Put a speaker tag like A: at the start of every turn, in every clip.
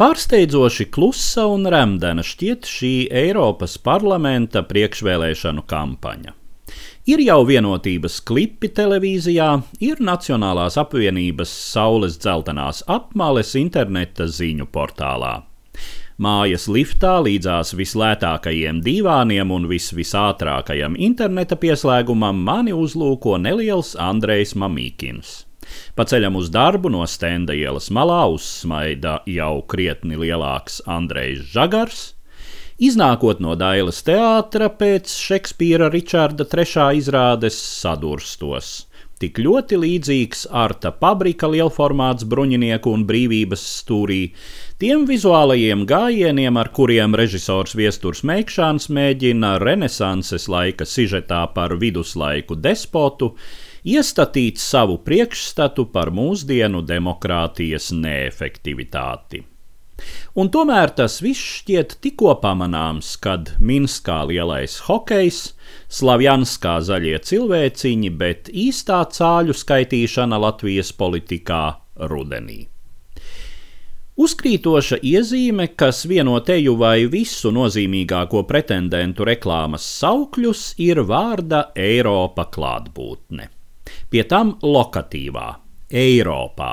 A: Pārsteidzoši klusa un remdena šķiet šī Eiropas parlamenta priekšvēlēšanu kampaņa. Ir jau vienotības klipi televīzijā, ir Nacionālās apvienības saules dzeltenās apmales interneta ziņu portālā. Mājas liftā līdzās vislētākajiem dīvāniem un visātrākajam interneta pieslēgumam mani uzlūko neliels Andrejs Mamīkins. Pa ceļam uz darbu no Stenda ielas malā uzsmaida jau krietni lielāks Andrejs Žagars. Iznākot no Dailes teātra pēc Šekspīra Ričarda III izrādes sadurstos. Tik ļoti līdzīgs Arta Pabrika lielformāts bruņinieku un brīvības stūrī, tiem vizuālajiem gājieniem, ar kuriem režisors Viesturs Meikšāns mēģina renesanses laika sižetā par viduslaiku despotu iestatīt savu priekšstatu par mūsdienu demokrātijas neefektivitāti. Un tomēr tas viss šķiet tikko pamanāms, kad Minskā lielais hokejs, Slavjanskā zaļie cilvēciņi, bet īstā cāļu skaitīšana Latvijas politikā rudenī. Uzkrītoša iezīme, kas vieno teju vai visu nozīmīgāko pretendentu reklāmas saukļus, ir vārda Eiropa klātbūtne. Pie tam lokatīvā – Eiropā.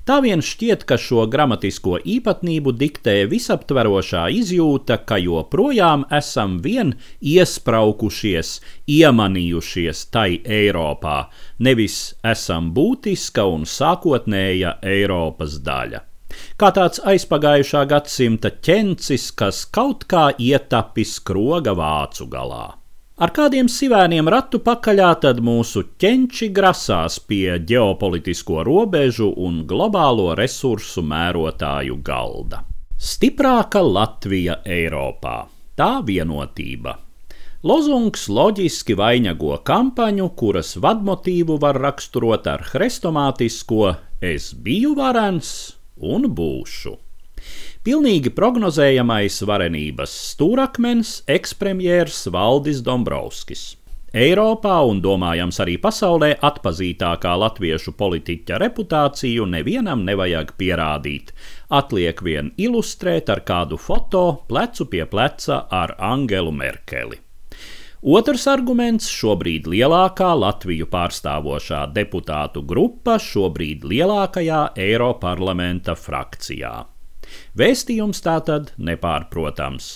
A: Tā vien šķiet, ka šo gramatisko īpatnību diktē visaptverošā izjūta, ka joprojām esam vien iespraukušies, iemanījušies tai Eiropā, nevis esam būtiska un sākotnēja Eiropas daļa. Kā tāds aizpagājušā gadsimta ķencis, kas kaut kā ietapis kroga vācu galā. Ar kādiem sivēniem ratu pakaļā tad mūsu ķenči grasās pie ģeopolitisko robežu un globālo resursu mērotāju galda. Stiprāka Latvija Eiropā. Tā vienotība. Lozungs loģiski vainago kampaņu, kuras vadmotīvu var raksturot ar hrestomātisko "es biju varens un būšu". Pilnīgi prognozējamais varenības stūrakmens ekspremjers Valdis Dombrovskis. Eiropā un domājams arī pasaulē atpazītākā latviešu politiķa reputāciju nevienam nevajag pierādīt. Atliek vien ilustrēt ar kādu foto plecu pie pleca ar Angelu Merkeli. Otrs arguments – šobrīd lielākā Latviju pārstāvošā deputātu grupa šobrīd lielākajā Eiroparlamenta frakcijā. Vēstījums tātad nepārprotams.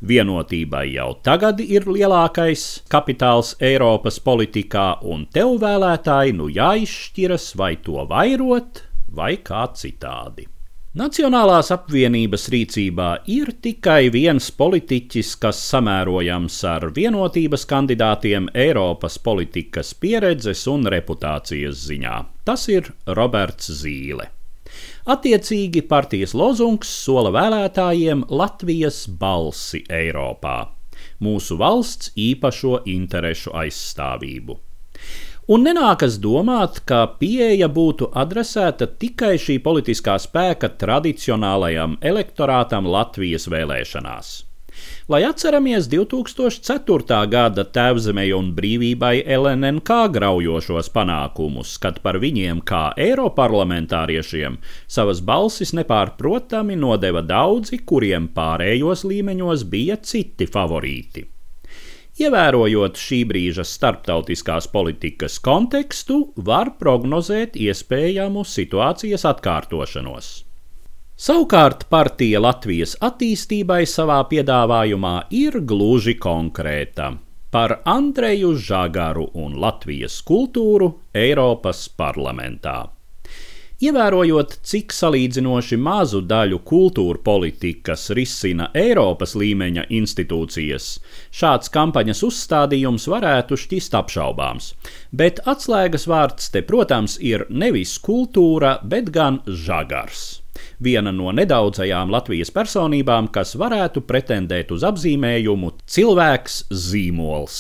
A: Vienotībai jau tagad ir lielākais kapitāls Eiropas politikā, un tev vēlētāji nu jāizšķiras, vai to vairot, vai kā citādi. Nacionālās apvienības rīcībā ir tikai viens politiķis, kas samērojams ar vienotības kandidātiem Eiropas politikas pieredzes un reputācijas ziņā. Tas ir Roberts Zīle. Attiecīgi partijas lozungs sola vēlētājiem Latvijas balsi Eiropā, mūsu valsts īpašo interešu aizstāvību. Un nenākas domāt, ka pieeja būtu adresēta tikai šī politiskā spēka tradicionālajam elektorātam Latvijas vēlēšanās. Lai atceramies 2004. gada Tēvzemei un brīvībai LNNK graujošos panākumus, kad par viņiem kā eiroparlamentāriešiem savas balsis nepārprotami nodeva daudzi, kuriem pārējos līmeņos bija citi favorīti. Ievērojot šī brīža starptautiskās politikas kontekstu, var prognozēt iespējamu situācijas atkārtošanos. Savukārt partija Latvijas attīstībai savā piedāvājumā ir gluži konkrēta – par Andreju Žagaru un Latvijas kultūru Eiropas parlamentā. Ievērojot, cik salīdzinoši mazu daļu kultūra politikas risina Eiropas līmeņa institūcijas, šāds kampaņas uzstādījums varētu šķist apšaubāms, bet atslēgas vārds te, protams, ir nevis kultūra, bet gan Žagars. Viena no nedaudzajām Latvijas personībām, kas varētu pretendēt uz apzīmējumu cilvēks zīmols.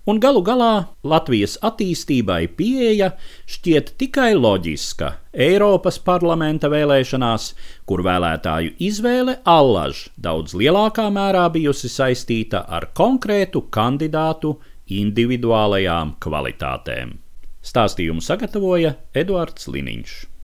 A: Un galu galā Latvijas attīstībai pieeja šķiet tikai loģiska Eiropas parlamenta vēlēšanās, kur vēlētāju izvēle allaž daudz lielākā mērā bijusi saistīta ar konkrētu kandidātu individuālajām kvalitātēm. Stāstījumu sagatavoja Eduards Liniņš.